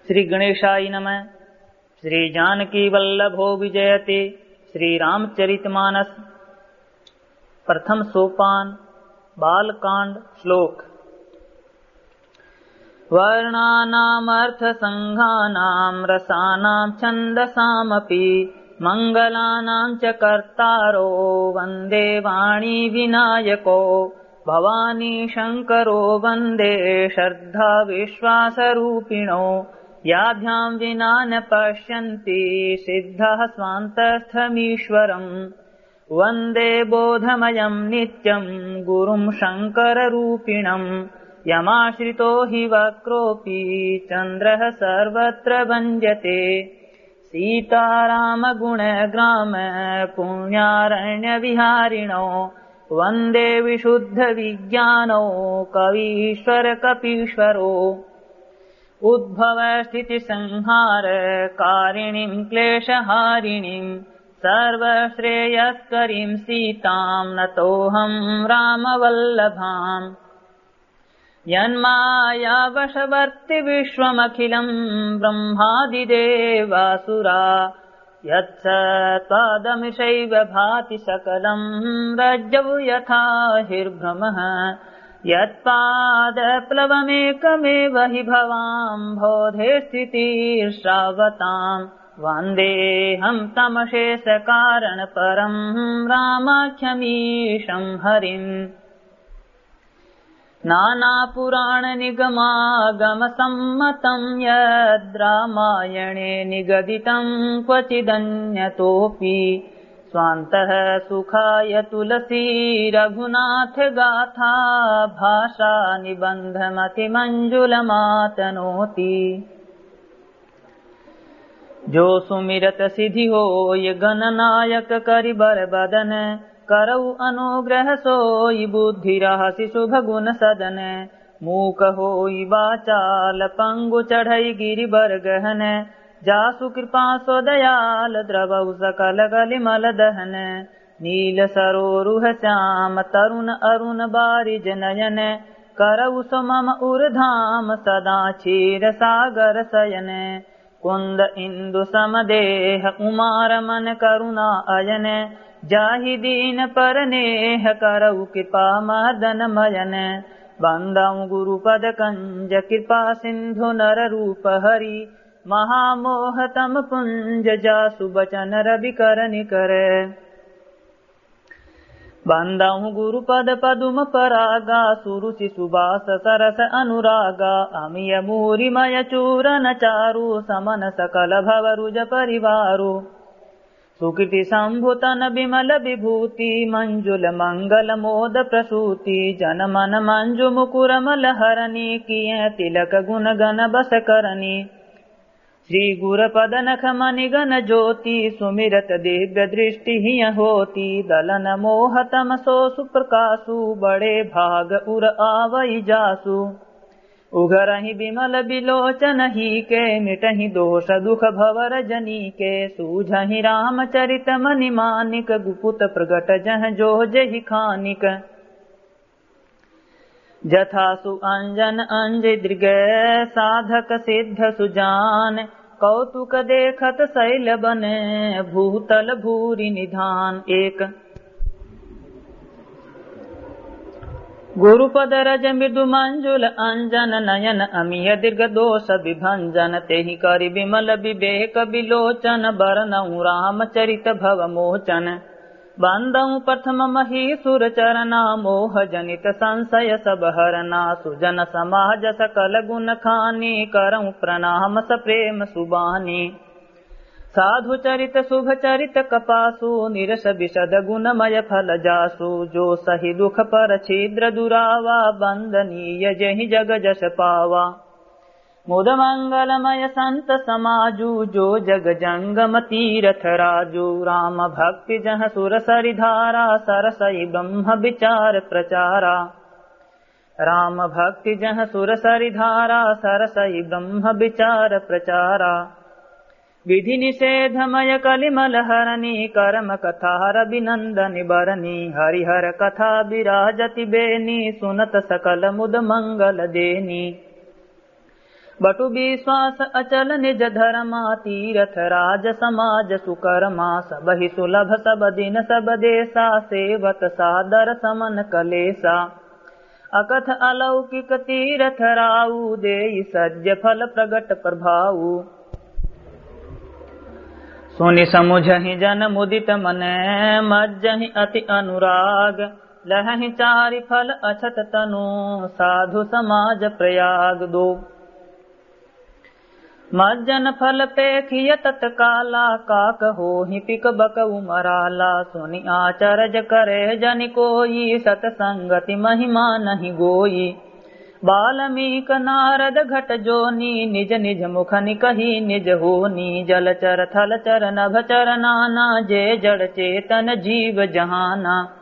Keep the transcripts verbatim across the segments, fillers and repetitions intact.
श्री गणेशाय नमः। श्री जानकी वल्लभो विजयते। श्री रामचरित मानस, प्रथम सोपान, बालकांड, श्लोक। वर्णानामर्थसंघानां रसानां छन्दसामपि मङ्गलानां च कर्तारो वन्दे वाणी विनायको। भवानी शङ्करो वन्दे श्रद्धा विश्वासरूपिणो। याभ्यां विना न पश्यन्ति सिद्धाः स्वान्तस्थमीश्वरम्। वन्दे बोधमयं नित्यं गुरुं शङ्कररूपिणम्। यमाश्रितो हि वक्रोऽपि चन्द्रः सर्वत्र भञ्जते। सीतारामगुणग्रामपुण्यारण्यविहारिणो। वन्दे विशुद्धविज्ञानो कवीश्वरकपीश्वरो। उद्भवस्थितिसंहारकारिणीं क्लेशहारिणीं सर्वश्रेयस्करीं सीतां नतोऽहं रामवल्लभाम्। यन्मायावशवर्ति विश्वमखिलं ब्रह्मादिदेवासुरा। यत्सत्त्वादमिषैव भाति सकलं रज्जौ यथा हिर्भ्रमः। यत्पादप्लवमेकमेव हि भवाम्भोधे स्थितिर्षावताम्। वन्देऽहं तमशेषकारणपरं रामाख्यमीशं हरिम्। नानापुराणनिगमागमसम्मतं यद्रामायणे निगदितं क्वचिदन्यतोऽपि। स्वान्तः सुखाय तुलसीरघुनाथगाथा भाषानिबन्धमतिमञ्जुलमातनोति। जो सुमिरत सिद्धि होय गणनायक करि बरबदन। करउ अनुग्रह सोई बुद्धि रहसि शुभ गुण सदन। मूक होई बाचाल पंगु चढ़ई गिरि बर गहन। जासु कृपा सो दयाल द्रवउ सकल कलिमल दहन। नील सरोरुह श्याम तरुण अरुण बारिज नयन। करउ सो मम उर धाम सदा क्षीर सागर सयन। कुन्द इन्दु सम देह उमा रमन करुणा अयन। जाहि दीन पर नेह करउ कृपा मदन मयन। बन्दउ गुरुपद कंज कृपा सिन्धु नर रूप हरि। महामोह तम पुंज जासु बचन रवि करनि कर। बन्दउ गुरुपद पदुम परागा सुरुचि सुबास सरस अनुरागा। अमिय मूरि मय चूरन चारु समन सकल भव रुज परिवारु। सुकृति शम्भु तन बिमल बिभूति मञ्जुल मंगल मोद प्रसूति। जन मन मञ्जु मुकुर मल हरनि किये तिलक गुन गन बस करनि। श्री गुर पद नख मनि गन ज्योति सुमिरत दिव्य दृष्टि हिय होति। दलन मोह तम सो सुप्रकासु बड़े भाग उर आवइ जासु। उघरहि बिमल बिलोचन ही के मिटहि दोष दुख भव रजनी के। सूझहि रामचरित मनि मानिक गुपुत प्रगट जह जो जेहि खानिक। जथा सु अंजन अंजि दृग साधक सिद्ध सुजान। कौतुक देखत सैल बन भूतल भूरि निधान। एक। गुरुपद रज मृदु मंजुल अंजन नयन अमिय दीर्घ दोष विभंजन। तेहि करि बिमल विवेक बिलोचन बरनउ रामचरित भव मोचन। बन्दउ प्रथम महीसुर चरना मोह जनित संशय सब हरना। सुजन समाज सकल गुन खानी करउ प्रणाम सप्रेम सुबानी। साधु चरित शुभ चरित कपासु निरस विशद गुणमय फल जासु। जो सहि दुख पर छिद्र दुरावा बन्दनीय जेहि जग जस पावा। मुद मंगलमय संत समाजु जो जग जंगम तीरथ राजु। राम भक्ति जह सुर सरि धारा सरसइ ब्रह्म विचार प्रचारा। राम भक्ति जह सुर सरि धारा सरसइ ब्रह्म विचार प्रचारा। विधि निषेधमय कलिमल हरनी करम कथा रविनंदनि बरनी। हरिहर कथा विराजति बेनी सुनत सकल मुद मंगल देनी। पटु विश्वास अचल निज धर्मा, तीरथ राज समाज सुकर्मा। सबहि सुलभ सब दिन सब देशा, सेवत सादर समन कलेशा। अकथ अलौकिक तीरथ राउ, देई सज्ज फल प्रगट प्रभाउ। सुनि समुझहि जन मुदित मन, मज्जहि अति अनुराग। लहहि चारि फल अछत तनु, साधु समाज प्रयाग। दो। मज्जन फल पेखिय तत्काला, काक होहि पिक बकउ मराला। सुनि आचरज करे जनि कोई, सतसंगति महिमा नहि गोई। बाल्मीक नारद घट जोनी, निज निज मुखनि कही निज होनी। जलचर थलचर नभचर नाना, जे जड़ चेतन जीव जहाना।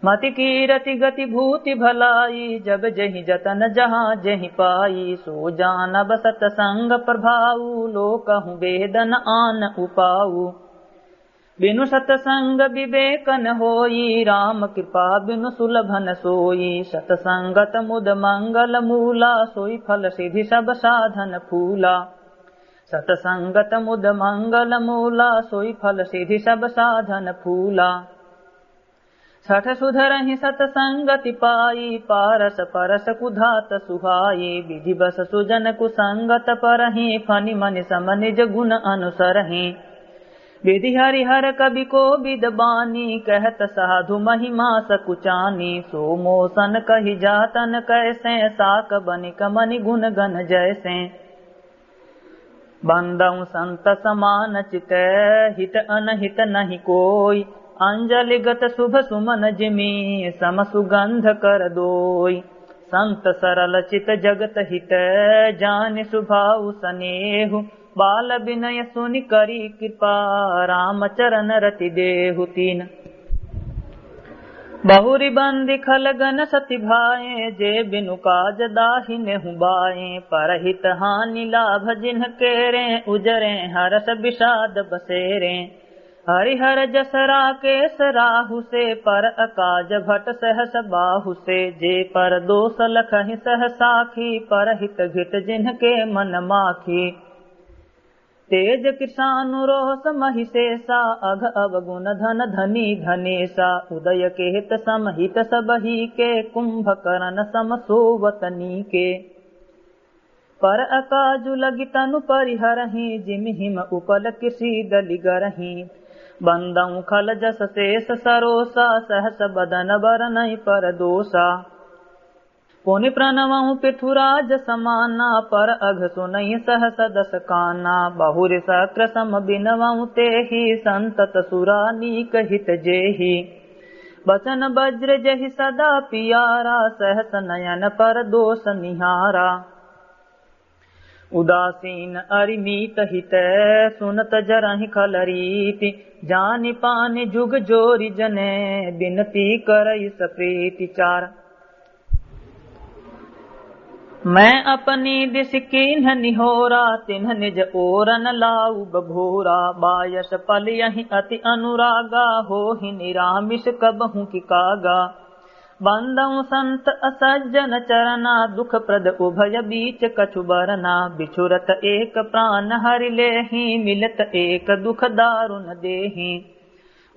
मति कीरति गति भूति भलाई, जब जहि जतन जहाँ जहि पाई। सो जानब सतसंग प्रभाऊ, लोकहु वेद न आन उपाऊ। बिनु सतसंग विवेक न होई, राम कृपा बिनु सुलभ न सोई। सतसंगत मुद मंगल मूला, सोई फल सिद्धि सब साधन फूला। सतसंगत मुद मंगल मूला, सोई फल सिद्धि सब साधन फूला। सठ सुधरहि सतसंगति पाई, पारस परस कुधात सुहाई। विधिवस सुजन कुसंगत परहि, फनि मनि सम निज गुण अनुसरहि। विधि हरिहर कवि कोविद बानी, कहत साधु महिमा सकुचानी। सो मोसन कहि जातन कैसे, साक बनिक मनि गुण गन जैसे। बंदउ संत समान चित, हित अनहित नहि कोई। अंजलिगत शुभ सुमन जिमि, सम सुगंध कर दोई। संत सरल चित जगत हित, जानि सुभाउ सनेहु। बाल बिनय सुनि करी कृपा, राम चरण रति देहु। तीन। बहुरि बंदी खलगन सति भाए, जे बिनु काज दाहि नेहु बाए। परहित हानि लाभ जिन्ह केरे, उजरे हरष विषाद बसेरे। हरिहर जस राकेश राहु से, पर अकाज भट सहस बाहु से। जे पर दोष लखहि सह साखी, परहित घिट जिन्ह के मन माखी। तेज कृशानु रोष महिषेषा, अघ अवगुण धन धनी धनेषा। उदय केत सम हित सबही के, कुंभकरन सम सोवत नीके। पर अकाजु लगि तनु परिहरहि, जिमि हिम उपल कृषि दलि गरहि। बंदउ खल जस शेष सरोषा, सहस बदन बरनइ पर दोषा। पुनि प्रणवउ पृथुराज समाना, पर अघ सुनइ सहस दस काना। बहुरि शक्र सम बिनवउ तेहि, संतत सुरा नीक हित जेहि। बचन बज्र जहि सदा पियारा, सहस नयन पर दोष निहारा। उदासीन अरि मीत हित, सुनत जरहि खल रीति। जानि पानि जुग जोरि जने, बिनती करइ सप्रीति। चार। मैं अपनी दिस कीन्ह निहोरा, तिन्ह निज ओरन लाउब भोरा। बायस पलियहि अति अनुरागा, होहि निरामिष कबहुँ कि कागा। बंदउ संत असज्जन चरना, दुख प्रद उभय बीच कछु बरना। बिछुरत एक प्रान हरि लेहि, मिलत एक दुख दारुन देहि।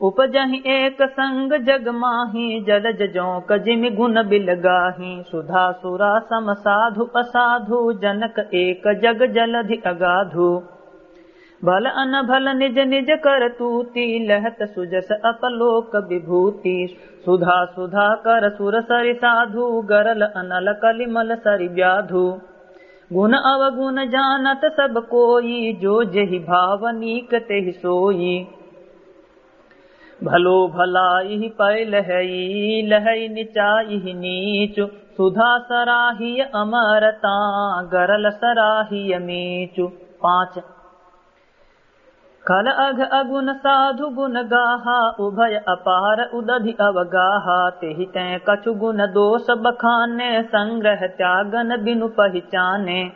उपजहि एक संग जग माहि, जलज जोंक जिमि गुन बिल गाहि। सुधा सुरा सम साधु असाधु, जनक एक जग जलधि अगाधु। भल अनभल निज निज करतूति, लहत सुजस अपलोक बिभूति। सुधा सुधाकर सुर सरि साधु, गरल अनल कलिमल सरि ब्याधु। गुन अवगुन जानत सब कोई, जो जेहि भाव नीक तेहि सोई। भलो भलाइहि पै लहई, लहई निचाइहि नीचु। सुधा सराहिय अमरता, गरल सराहिय मीचु। पाँच। खल अघ अगुन साधु गुन गाहा, उभय अपार उदधि अवगाहा। तेहि तैं कछु गुन दोष बखाने, संग्रह त्यागन बिनु पहिचाने।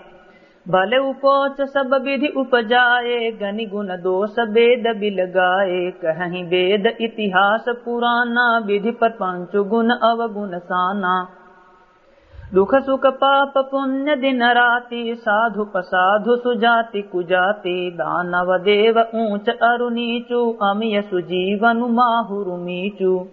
भले उपोच सब विधि उपजाए, गनि गुन दोष वेद बिल गाए। कहहिं वेद इतिहास पुराना, विधि प्रपंच गुन अवगुन साना। दुख सुख पाप पुण्य दिन राति, साधु असाधु सुजाति कुजाति, दानव देव ऊंच अरु नीचु, अमिय सुजीवनु माहुरु मीचु।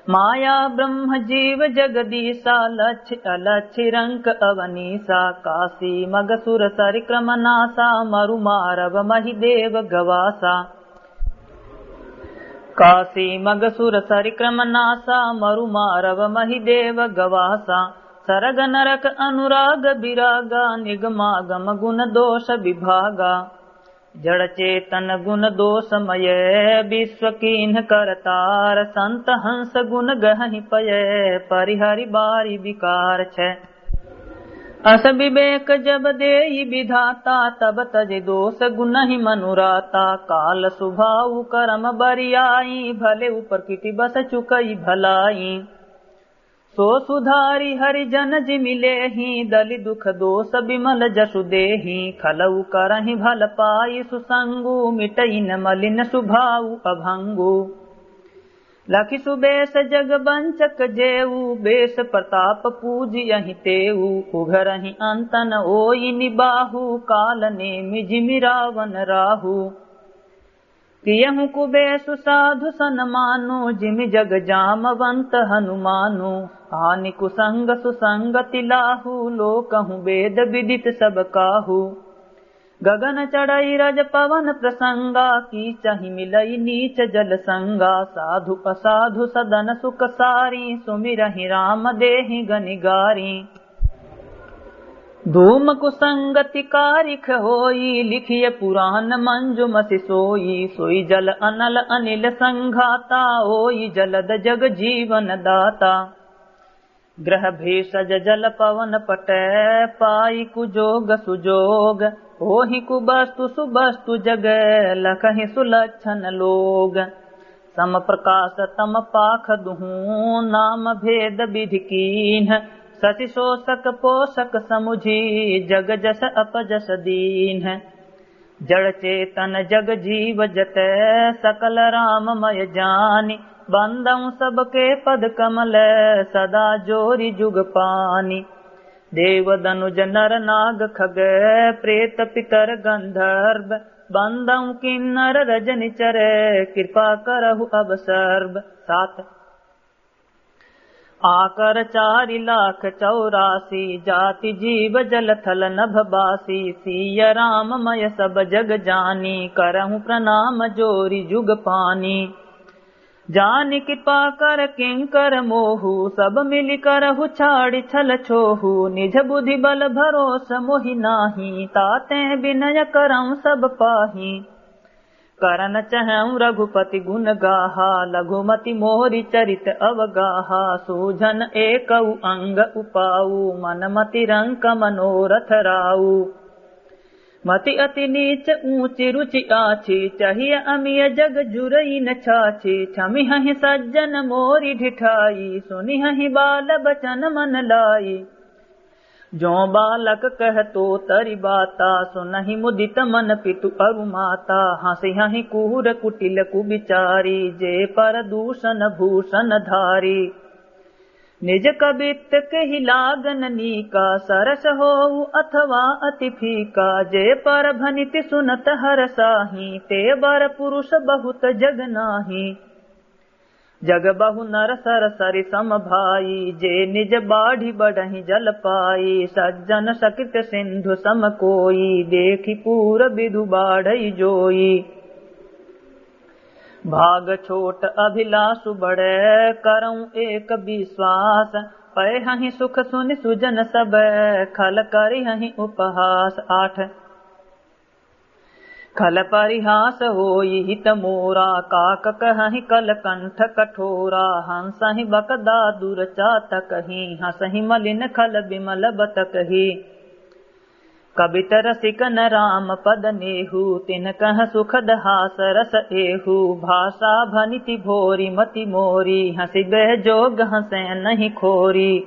माया ब्रह्म जीव जगदीसा, लक्ष्य अलक्ष्य रंक अवनीसा, काशी मग सुर सरिक्रम नासा, मरु मारव महि देव गवासा। काशी मग सुर सरिक्रम नासा, मरु मारव महि देव गवासा। सरग नरक अनुराग विरागा, निगमागम गुण दोष विभागा। जड़ चेतन गुण दोषमय, विश्व कीन्ह करतार, संत हंस गुण गहहि पय, परिहरि बारि विकार छय। अस विवेक जब देई विधाता, तब तजि दोष गुनहि मनुराता। काल सुभाउ करम बरियाई, भले उपरकिति बस चुकई भलाई। सो सुधारि हरि जन जिमि लेही, दलि दुख दोष विमल जसु देही। खलउ करहिं भल पाई सुसंगु, मिटई न मलिन सुभाउ अभंगु। लखि सुबेस जग बंचक जेऊ, बेस प्रताप पूजियहिं तेऊ। उघरहिं अंत न ओई निबाहु, काल नेमि जिमि रावण राहु। कियहु कुबेसु साधु सनमानु, जिमि जग जामवंत हनुमानु। हानि कुसंग सुसंगति लाहु, लोकहु वेद विदित सब काहु। गगन चढ़ई रज पवन प्रसंगा, कीचहि मिलई नीच जल संगा। साधु असाधु सदन सुख सारी, सुमिरहिं राम देहिं गनि गारी। धूम कुसंगति कारिख होई, लिखिय पुराण मंजुमसि सोई। सोई जल अनल अनिल संघाता, ओई जलद जग जीवन दाता। ग्रह भेषज जल पवन पट, पाई कुजोग सुजोग। होहि कुवस्तु सुवस्तु जग, लखहि सुलक्षण लोग। सम प्रकाश तम पाख दुहूँ, नाम भेद विधि कीन्ह। शशि शोषक पोषक समुझी, जग जस अपजस दीन्ह। जड़ चेतन जग जीव जत, सकल राममय जानि। बंदउँ सबके पद कमल, सदा जोरि जुग पानि। देव दनुज नर नाग खग, प्रेत पितर गंधर्व। बंदउँ किन्नर रजनिचर, कृपा करहु अब सर्व। सात। आकर चारि लाख चौरासी, जाति जीव जल थल नभ बासी। सिय राममय सब जग जानी, करहु प्रणाम जोरि जुग पानी। जानि कृपा कर किंकर मोहु, सब मिलि करहु छाड़ि छल छोहु। निज बुद्धि बल भरोस मोहि नाहीं, तातें विनय करउँ सब पाहीं। करन चहउँ रघुपति गुन गाहा, लघुमति मोरि चरित अवगाहा। सूझन एकउ अंग उपाऊ, मन मति रंक मनोरथ राऊ। मति अति नीच ऊँचि रुचि आछी, चहिय अमिय जग जुरई न छाछी। छमिहहिं सज्जन मोरि ढिठाई, सुनिहहिं बाल बचन मन लाई। जों बालक कहतो तरि बाता, सुनहिं मुदित मन पितु अरु माता। हँसिहहिं कुहुर कुटिल कुबिचारी, जे पर दूषन भूषन धारी। निज कबित्त केहि लागन नीका, सरस होउ अथवा अति फीका। जे पर भनिति सुनत हरसाहीं, ते बर पुरुष बहुत जग नाहीं। जग बहु नर सर सरि सम भाई, जे निज बाढ़ि बढहिं जल पाई। सज्जन सकृत सिंधु सम कोई, देखि पूर विधु बाढ़ई जोई। भाग छोट अभिलाषु बड़े, करउँ एक विश्वास। पयहहिं सुख सुनि सुजन सब, खल करिहहिं उपहास। आठ। खल परिहास होई हित मोरा, काक कहहिं कल कंठ कठोरा। हँसहिं बकदा दुर चातकहिं, हँसहिं मलिन खल विमल बतकही। कबित रसिकन राम पद नेहु, तिनकह सुखद हास रस एहु। भाषा भनिति भोरि मति मोरी, हँसिबेह जोग हँसें नहीं खोरी।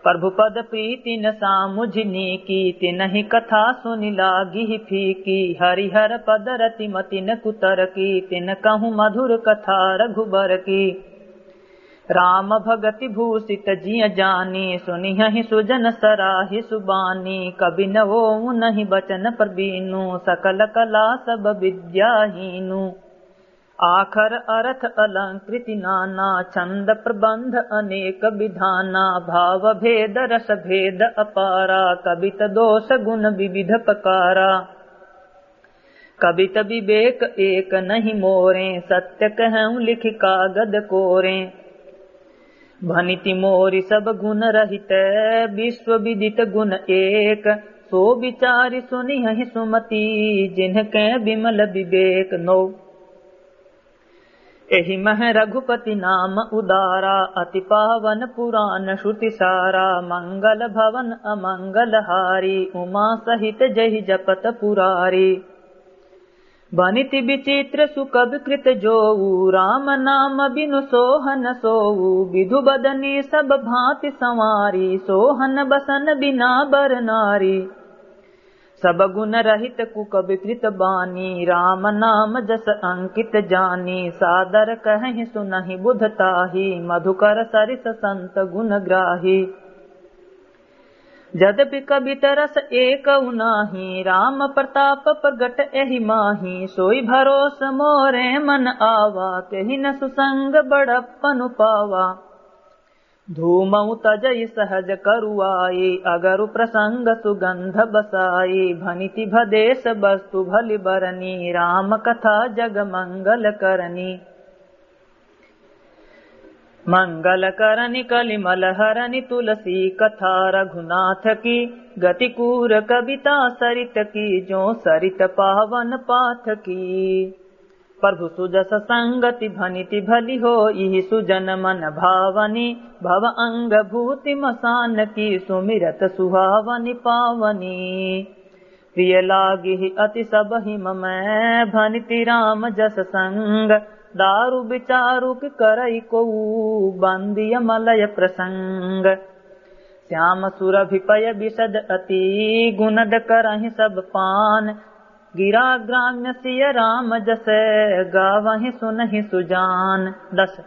प्रभु पद प्रीति न सामुझि नीकी, तिनहि कथा सुनि लागिहि फीकी। हरिहर पद रति मति न कुतरकी, तिनकहु मधुर कथा रघुबर की। राम भगति भूषित जिय जानी, सुनिहहि सुजन सराहि सुबानी। कबि न होउ उनहि बचन प्रबीनु, सकल कला सब विद्या हीनु। आखर अरथ अलंकृति नाना, छंद प्रबंध अनेक विधाना। भाव भेद रस भेद अपारा, कबित दोष गुण विविध प्रकारा। कबित विवेक एक नहीं मोरें, सत्य कहूँ लिखि कागद कोरें। भनिति मोरि सब गुण रहित, विश्व विदित गुण एक। सो विचारि सुनिहहि सुमति, जिनके विमल विवेक। नौ। एहि मह रघुपति नाम उदारा, अति पावन पुरान श्रुति सारा। मंगल भवन अमंगल हारी, उमा सहित जहि जपत पुरारी। भनिति विचित्र सुकबि कृत जोऊ, राम नाम बिनु सोहन सोऊ। विधु बदनी सब भांति संवारी, सोहन बसन बिना बर नारी। सब गुण रहित कुकबि कृत बानी, राम नाम जस अंकित जानी। सादर कहहि सुनहि बुध ताही, मधुकर सरिस संत गुण ग्राही। जदपि कबित रस एकउ नाहीं, राम प्रताप प्रगट एहि माहीं। सोई भरोस मोरे मन आवा, केहि न सुसंग बड़प्पन पावा। धूमउ तजइ सहज करुआई, अगरु प्रसंग सुगंध बसाई। भनिति भदेस वस्तु भलि बरनी, राम कथा जग मंगल करनी। मंगल करनि कलिमल हरनि तुलसी कथा रघुनाथ की, गति कूर कबिता सरित की, जो सरित पावन पाथ की। प्रभु सुजस संगति भनिति भलि होई, सुजन मन भावनी। भव अंग भूति मसान की, सुमिरत सुहावनि पावनी। प्रिय लागिहि अति सबहिं मम, भनिति राम जस संग। दारु बिचारु कि करइ कोऊ, बंदिय मलय प्रसंग। श्याम सुरभि पय बिसद अति, गुनद करहिं सब पान। गिरा ग्राम्य सिय राम जस, गावहिं सुनहिं सुजान। दस।